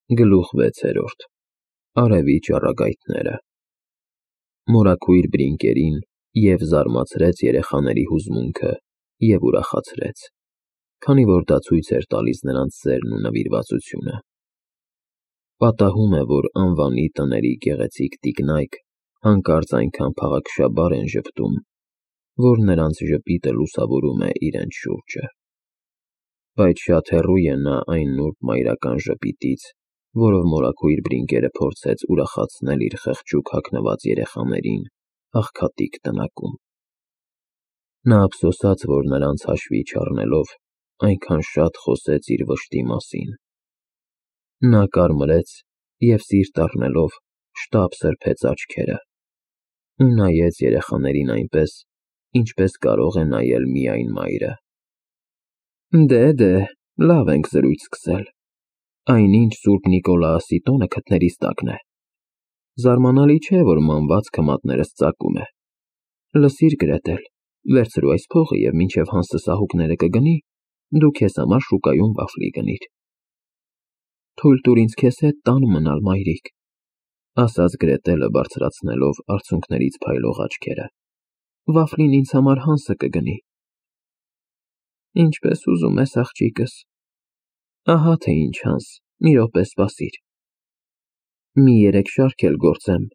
Գլուխ 6. Արևի ճառագայթները։ Մորաքույր բրինկերին և զարմացրեց երեխաների հուզմունքը և ուրախացրեց, քանի որ դա ցույց էր տալիս նրանց սերն ու նվիրվածությունը։ Պատահում է, որ անվանի տների գեղեցիկ տիկնայք հանկարծ այնքան փաղաքշաբար են ժպտում, որ նրանց ժպիտը լուսավորում է իրենց շուրջը։ Բայց շատ հեռու է նա այն նուրբ մայրական ժպիտից, որով մորաքույր բրինկերը փորձեց ուրախացնել իր խղճուկ հագնված երեխաներին աղքատիկ տնակում։ Նա ափսոսաց, որ նրանց հաշվի չառնելով, այնքան շատ խոսեց իր վշտի մասին։ Նա կարմրեց և սիրտ առնելով շտապ սրբեց աչքերը ու նայեց երեխաներին այնպես, ինչպես կարող է նայել միայն մայրը։ Դե, լավ ենք զրույց սկսել, այնինչ Սուրբ Նիկոլաոսի տոնը քթներիս տակն է։ Զարմանալի չէ, որ մանվածքը մատներս ծակում է։ Լսիր, Գրետել, վերցրու այս փողը և մինչև Հանսը սահուկները կգնի, դու քեզ համար շուկայում վաֆլի գնիր։ Թույլ տուր ինձ քեզ հետ տանը մնալ, մայրիկ, ասաց Գրետելը բարձրացնելով արցունքներից փայլող աչքերը։ Վաֆլին ինձ համար Հանսը կգնի։ Ինչպես ուզում ես, աղջիկս։ Ահա թե ինչ, Հանս, մի րոպե սպասիր։ Մի 3 շարք էլ գործեմ,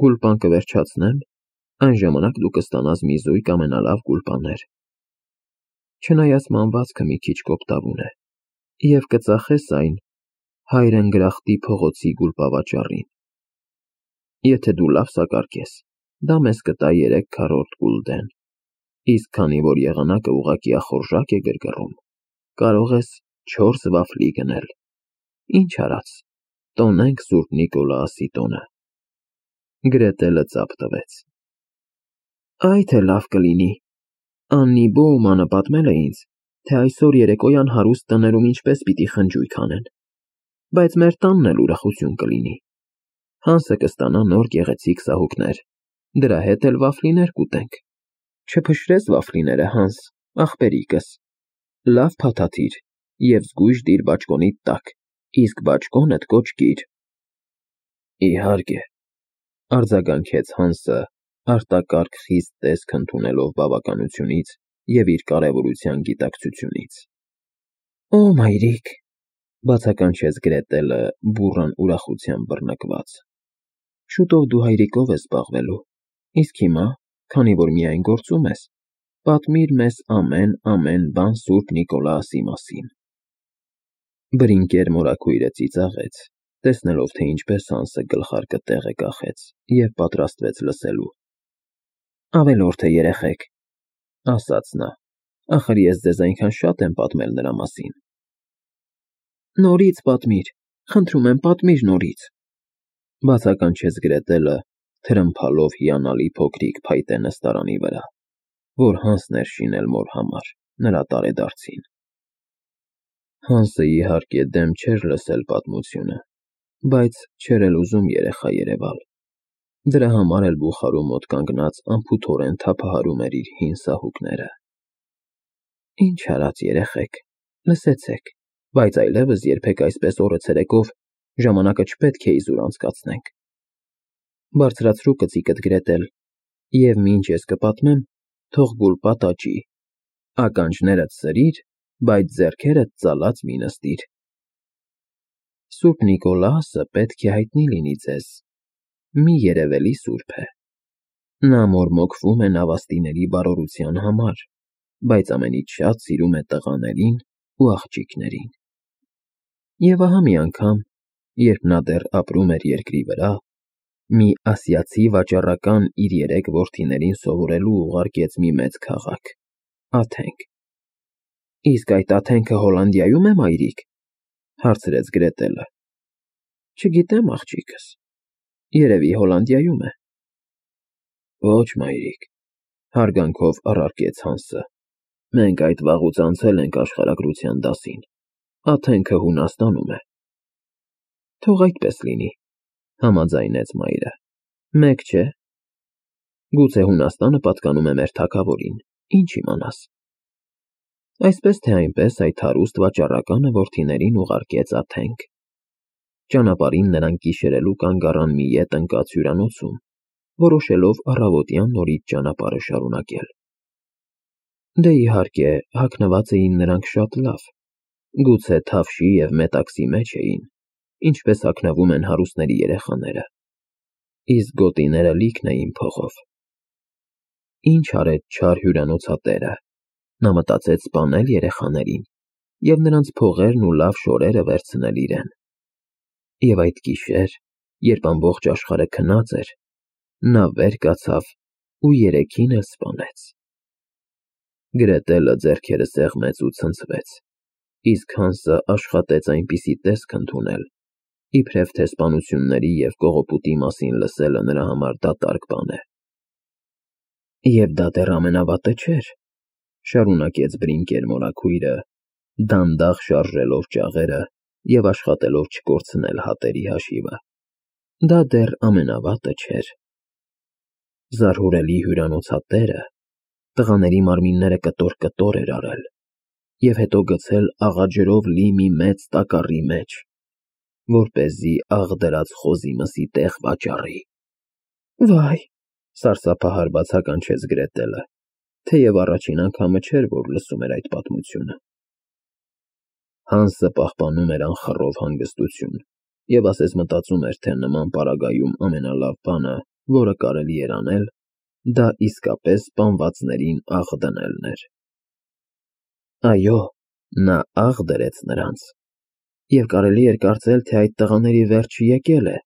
գուլպան կվերջացնեմ, այն ժամանակ դու կստանաս մի զույգ ամենալավ գուլպաներ։ Չնայած մանվածքը մի քիչ կոպտավուն է, և կծախես այն Հայր Ընգրախտի փողոցի գուլպավաճառին։ Եթե դու լավ սակարկես, դա մեզ կտա 3 քառորդ գուլդեն, իսկ քանի որ եղանակը ուղղակի ախորժակ է գրգռում, կարող ես 4 վաֆլի գնել։ Ինչ արած, տոնենք Սուրբ Նիկոլաոսի տոնը։ Գրետելը ծափ տվեց։ Այ թե լավ կլինի։ Աննի Բոումանը պատմել է ինձ, թե այսօր երեկոյան հարուստ տներում ինչպես պիտի խնջույք անեն, բայց մեր տանն էլ ուրախություն կլինի։ Հանսը կստանա նոր գեղեցիկ սահուկներ, դրա հետ էլ վաֆլիներ կուտենք։ Չփշրես վաֆլիները, Հանս, ախպերիկս, լավ փաթաթիր և զգույշ դիր բաճկոնիդ տակ, իսկ բաճկոնդ կոճկիր։ Իհարկե, արձագանքեց Հանսը, արտակարգ խիստ տեսք ընդունելով բավականությունից և իր կարևորության գիտակցությունից։ Օ, մայրիկ, բացականչեց Գրետելը բուռն ուրախությամբ բռնկված։ Շուտով դու հայրիկով ես զբաղվելու, իսկ հիմա, քանի որ միայն գործում ես, պատմիր մեզ ամեն բան Սուրբ Նիկոլաոսի մասին։ Բրինկեր մորաքույրը ծիծաղեց, տեսնելով, թե ինչպես Հանսը գլխարկը տեղ է կախեց և պատրաստվեց լսելու։ Ավելորդ է, երեխեք, ասաց նա, ախր ես ձեզ այնքան շատ եմ պատմել նրա մասին։ Նորից պատմիր, խնդրում եմ, պատմիր նորից, բացականչեց Գրետելը, թրմփալով հիանալի փոքրիկ փայտե նստարանի վրա, որ Հանսն էր շինել մոր համար, նրա տարեդարձին։ Հանսը իհարկե դեմ չէր լսել պատմությունը, բայց չէր էլ ուզում երեխա երևալ։ Դրա համար էլ բուխարու մոտ կանգնած անփութորեն թափահարում էր իր հին սահուկները։ Ինչ արած, երեխեք, լսեցեք, բայց այլևս երբեք այսպես օրը ցերեկով ժամանակը չպետք է իզուր անցկացնենք։ Բարձրացրու կծիկդ, Գրետել, և մինչ ես կպատմեմ, թող գուլպատ աճի, ականջներդ սրիր, բայց ձեռքերդ ծալած մի նստիր։ Սուրբ Նիկոլաոսը պետք է հայտնի լինի ձեզ, մի երևելի սուրբ է։ Նա մորմոքվում է նավաստիների բարօրության համար, բայց ամենից շատ սիրում է տղաներին ու աղջիկներին։ Եվ ահա մի անգամ, երբ նա դեռ ապրում էր երկրի վրա, մի ասիացի վաճառական իր 3 որդիներին սովորելու ուղարկեց մի մեծ քաղաք՝ Աթենք։ Իսկ այդ Աթենքը Հոլանդիայո՞ւմ է, մայրիկ, հարցրեց Գրետելը։ Չգիտեմ, աղջիկս, երևի Հոլանդիայում է։ Ոչ, մայրիկ, հարգանքով առարկեց Հանսը, մենք այդ վաղուց անցել ենք աշխարհագրության դասին, Աթենքը Հունաստանում է։ Թող այդպես լինի, համաձայնեց մայրը, մեկ չէ։ Գուցե Հունաստանը պատկանում է մեր թագավորին, ինչ իմանաս։ Այսպես թե այնպես այդ հարուստ վաճառականը որդիներին ուղարկեց Աթենք։ Ճանապարհին նրանք գիշերելու կանգ առան մի ետ ընկած հյուրանոցում, որոշելով առավոտյան նորից ճանապարհը շարունակել։ Դե իհարկե, հագնված էին նրանք շատ լավ, գուցե թավշի և մետաքսի մեջ էին, ինչպես հագնվում են հարուստների երեխաները, իսկ գոտիները լիքն էին փողով։ Ինչ արեց չար հյուրանոցատերը, նա մտածեց սպանել երեխաներին և նրանց փողերն ու լավ շորերը վերցնել իրեն։ Եվ այդ գիշեր, երբ ամբողջ աշխարհը քնած էր, նա վեր կացավ ու երեքին էլ սպանեց։ Գրետելը ձեռքերը սեղմեց ու ցնցվեց, իսկ Հանսը աշխատեց այնպիսի տեսք ընդունել, իբրև թե սպանությունների և կողոպուտի մասին լսելը նրա համար դատարկ բան է։ Եվ դա դեռ ամենավատը չէր, շարունակեց Բրինկեր մորաքույրը, դանդաղ շարժելով ճաղերը և աշխատելով չկորցնել հատերի հաշիվը։ Դա դեռ ամենավատը չէր։ Զարհուրելի հյուրանոցատերը տղաների մարմինները կտոր-կտոր էր արել և հետո գցել աղաջրով լի մի մեծ տակառի մեջ, որպեսզի աղ դրած խոզի մսի տեղ վաճառի։ Վայ, սարսափահար բացականչեց Գրետելը, թեև առաջին անգամը չէր, որ լսում էր այդ պատմությունը։ Հանսը պահպանում էր անխռով հանգստություն և ասես մտածում էր, թե նման պարագայում ամենալավ բանը, որը կարելի էր անել, դա իսկապես սպանվածներին աղ դնելն էր։ Այո, նա աղ դրեց նրանց, և կարելի էր կարծել, թե այդ տղաների վերջը եկել է։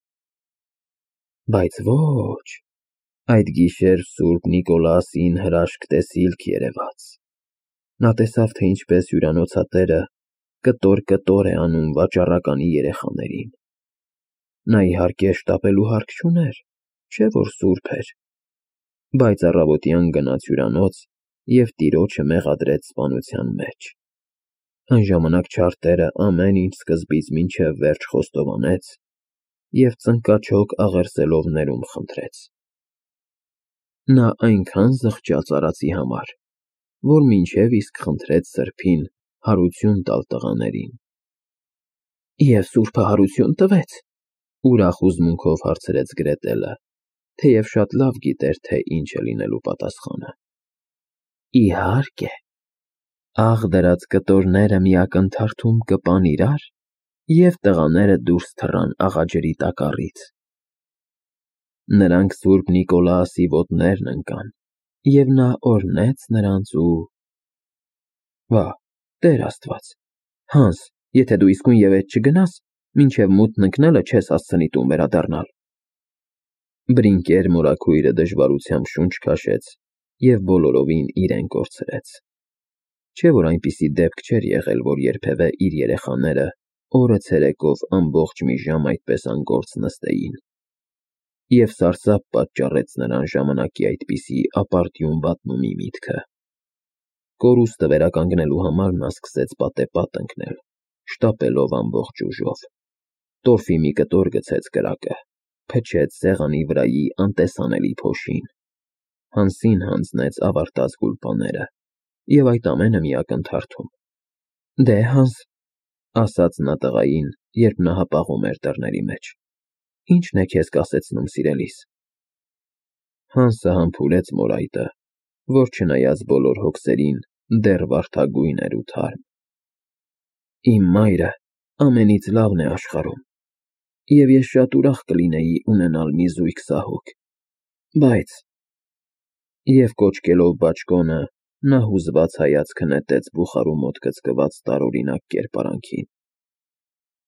Բայց ոչ, այդ գիշեր Սուրբ Նիկոլասին հրաշք տեսիլք երևաց։ Նա տեսավ, թե ինչպես հյուրանոցատերը կտոր-կտոր է անում վաճառականի երեխաներին։ Նա իհարկե շտապելու հարկ չուներ, չէ՞ որ սուրբ էր, բայց առավոտյան գնաց հյուրանոց և տիրոջը մեղադրեց սպանության մեջ։ Այն ժամանակ չար տերը ամեն ինչ սկզբից մինչև վերջ խոստովանեց և ծնկաչոք աղերսելով ներում խնդրեց։ Նա այնքան զղջաց արածի համար, որ մինչև իսկ խնդրեց սրբին հարություն տալ տղաներին։ Եվ սուրբը հարություն տվե՞ց, ուրախ հուզմունքով հարցրեց Գրետելը, թեև շատ լավ գիտեր, թե ինչ է լինելու պատասխանը։ Իհարկե, աղ դրած կտորները մի ակնթարթում կպան իրար, և տղաները դուրս թռան աղաջրի տակառից։ Նրանք Սուրբ Նիկոլաասի ոտներն ընկան, և նա օրհնեց նրանց ու… Վա, Տեր Աստված, Հանս, եթե դու իսկույն ևեթ չգնաս, մինչև մութն ընկնելը չես հասցնի տուն վերադառնալ։ Բրինկեր մորաքույրը դժվարությամբ շունչ քաշեց և բոլորովին իրեն կորցրեց։ Չէ՞ որ այնպիսի դեպք չէր եղել, որ երբևէ իր երեխաները օրը ցերեկով ամբողջ մի ժամ այդպես անգործ նստեին։ Եվ սարսափ պատճառեց նրան ժամանակի այդպիսի ապարդյուն վատնումի միտքը։ Կորուստը վերականգնելու համար նա սկսեց պատեպատ ընկնել, շտապելով ամբողջ ուժով։ Տորֆի մի կտոր գցեց կրակը, փչեց սեղանի վրայի անտեսանելի փոշին։ Հանսին հանձնեց ավարտած գուլպաները, և այդ ամենը մի ակնթարթում։ Դե, Հանս, ասաց նա տղային, երբ նա հապաղում էր դռների մեջ, ի՞նչն է քեզ կասեցնում սիրելիս։ Հանսը համբուրեց մորայտը, որ չնայած բոլոր հոգսերին, դեռ վարդագույն էր ու թարմ։ Իմ մայրը ամենից լավն է աշխարհում, և ես շատ ուրախ կլինեի ունենալ մի զույգ սահուկ, բայց… Եվ կոչկելով բաճկոնը, նա հուզված հայացքը նետեց բուխարու մոտ գծկված տարօրինակ կերպարանքին։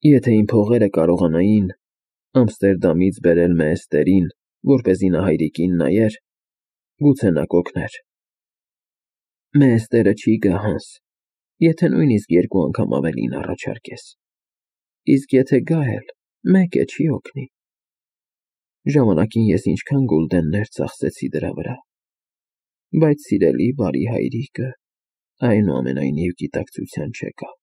Եթե իմ փողերը կարողանային Ամստերդամից բերել Մեեստերին, որպեսզի նա հայրիկին նայեր, գուցե նա կօգներ։ Մեեստերը չի գա, Հանս, եթե նույնիսկ 2 անգամ ավելին առաջարկես, իսկ եթե գա էլ, մեկ է, չի օգնի։ Ժամանակին ես ինչքան գուլդեններ ծախսեցի դրա վրա, բայց սիրելի բարի հայրիկը այնուամենայնիվ գիտակցության չեկավ։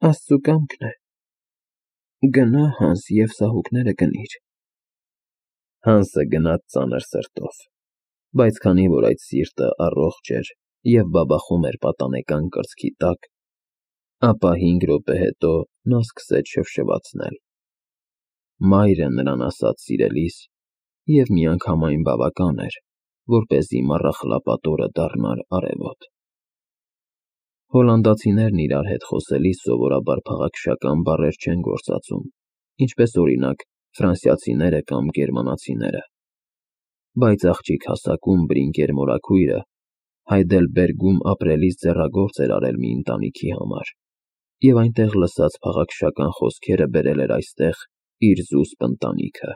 Աստծու կամքն է։ Գնա, Հանս, և սահուկները գնիր։ Հանսը գնաց ծանր սրտով, բայց քանի որ այդ սիրտը առողջ էր և բաբախում էր պատանեկան կրծքի տակ, ապա 5 րոպե հետո նա սկսեց շվշվացնել։ Մայրը նրան ասաց սիրելիս, և միանգամայն բավական էր, որպեսզի մառախլապատորը դառնար արևոտ։ Հոլանդացիներն իրար հետ խոսելիս սովորաբար փաղաքշական բառեր չեն գործածում, ինչպես օրինակ ֆրանսիացիները կամ գերմանացիները, բայց աղջիկ հասակում Բրինկեր մորաքույրը Հայդելբերգում ապրելիս ձեռագործ էր արել մի ընտանիքի համար, և այնտեղ լսած փաղաքշական խոսքերը բերել էր այստեղ իր զուսպ ընտանիքը։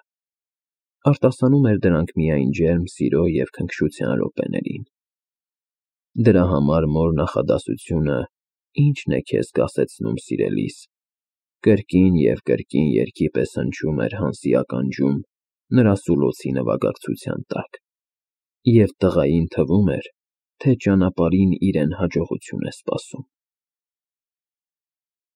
Արտասանում էր դրանք միայն ջերմ սիրո և քնքշության րոպեներին։ Դրա համար մոր նախադասությունը «Ի՞նչն է քեզ կասեցնում, սիրելիս» կրկին և կրկին երգի պես հնչում էր Հանսի ականջում նրա սուլոցի նվագակցության տակ, և տղային թվում էր, թե ճանապարհին իրեն հաջողություն է սպասում։